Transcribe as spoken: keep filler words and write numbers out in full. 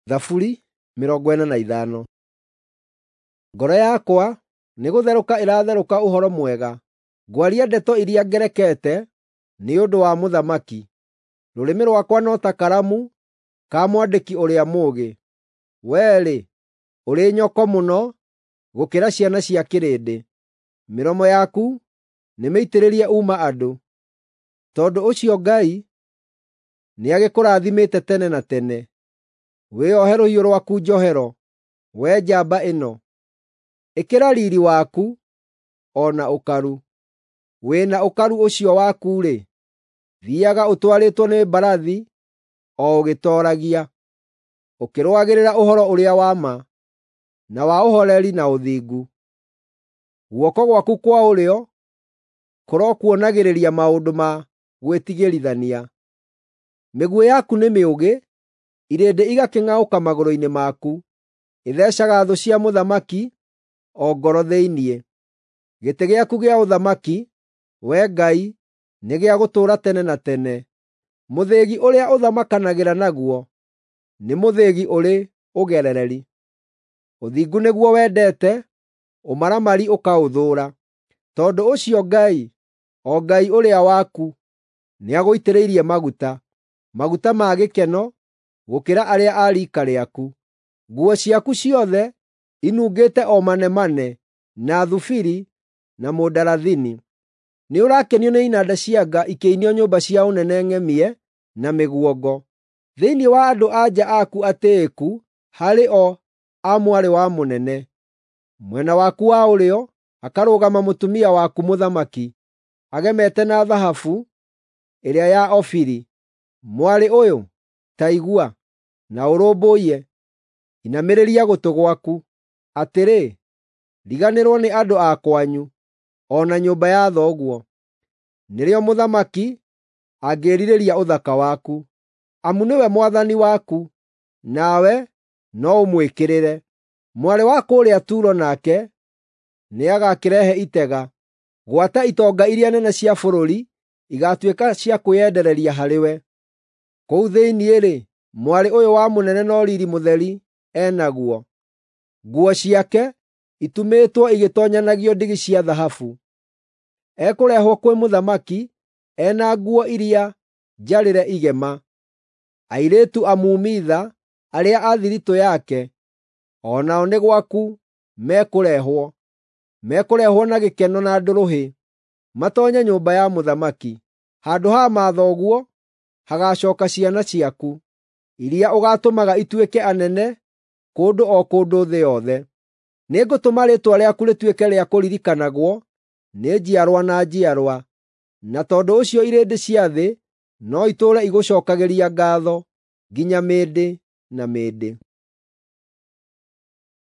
Thaburi mĩrongo ĩna na ithano. Ngoro yakwa nĩgũtherũka ĩratherũka ũhoro mwega, ngwaria ndeto iria ngerekete nĩ ũndũ wa mũthamaki. Rũrĩmĩ rwakwa no ta karamu ka mwandĩki ũrĩa mũũgĩ. Wee-rĩ, ũrĩ nyoko mũno gũkĩra ciana cia kĩrĩndĩ; mĩromo yaku nĩmĩitĩrĩrie uuma-andũ. Tondũ ũcio Ngai nĩagĩkũrathimĩte tene na tene. Wĩohe rũhiũ rwaku njohero, wee njamba ĩno; ĩkĩra riiri waku o na ũkaru. Wĩ na ũkaru ũcio waku-rĩ, thiiaga ũtwarĩtwo nĩ mbarathi o ũgĩtooragia, ũkĩrũagĩrĩra ũhoro ũrĩa wa ma, na wa ũhooreri na ũthingu. Guoko gwaku kwa ũrĩo kũrokuonagĩrĩria maũndũ ma gwĩtigĩrithania. Mĩguĩ yaku nĩ mĩũgĩ, irĩndĩ igakĩng'aũka magũrũ-inĩ maku. Ĩtheecaga thũ cia mũthamaki o ngoro thĩinĩ. Gĩtĩ gĩaku gĩa ũthamaki, Wee Ngai, nĩ gĩa gũtũũra tene na tene; mũthĩgi ũrĩa ũthamakanagĩra naguo nĩ mũthĩgi ũrĩ ũgerereri. Ũthingu nĩguo wendete, ũmaramari ũkaũthũũra. Tondũ ũcio Ngai, o Ngai ũrĩa waku, nĩagũitĩrĩirie maguta, maguta ma gĩkeno gũkĩra arĩa a riika rĩaku. Nguo ciaku ciothe inungĩte o manemane, na thubiri na mũndarathini. Nĩũrakenio nĩ inanda cia nga ikĩinio nyũmba cia ũnene ng'emie na mĩguongo. Thĩinĩ wa andũ-a-nja aku atĩĩku harĩ o a mwarĩ wa mũnene. Mwena waku wa ũrĩo hakarũgama mũtumia waku mũthamaki, agemete na thahabu ĩrĩa ya Ofiri. Mwarĩ ũyũ, ta igua, na ũrũmbũiye; inamĩrĩria gũtũ gwaku. Atĩrĩ, riganĩrwo nĩ andũ a kwanyu, o na nyũmba ya thoguo. Nĩrĩo mũthamaki angĩĩrirĩria ũthaka waku, amu nĩwe mwathani waku, nawe no ũmwĩkĩrĩre. Mwarĩ wa kũrĩa Turo nake nĩagakĩrehe itega, gwata itonga iria nene cia bũrũri igaatuĩka cia kwĩyendereria harĩwe. Kũu thĩinĩ-rĩ, mwarĩ ũyũ wa mũnene no riiri mũtheri e naguo; nguo ciake itumĩtwo igĩtoonyanagio ndigi cia thahabu. Ekũrehwo kwĩ mũthamaki e na nguo iria njarĩre igema. Airĩtu amuumitha arĩa a thiritũ yake o nao nĩ gwaku mekũrehwo; mekũrehwo na gĩkeno na ndũrũhĩ, matoonye nyũmba ya mũthamaki. Handũ ha mathoguo hagaacooka ciana ciaku, iria ũgaatũmaga ituĩke anene kũndũ o kũndũ thĩ yothe. Nĩngũtũma rĩĩtwa rĩaku rĩtuĩke rĩa kũririkanagwo nĩ njiarwa na njiarwa, na tondũ ũcio irĩndĩ cia thĩ no itũũre igũcookagĩria ngaatho nginya mĩndĩ na mĩndĩ.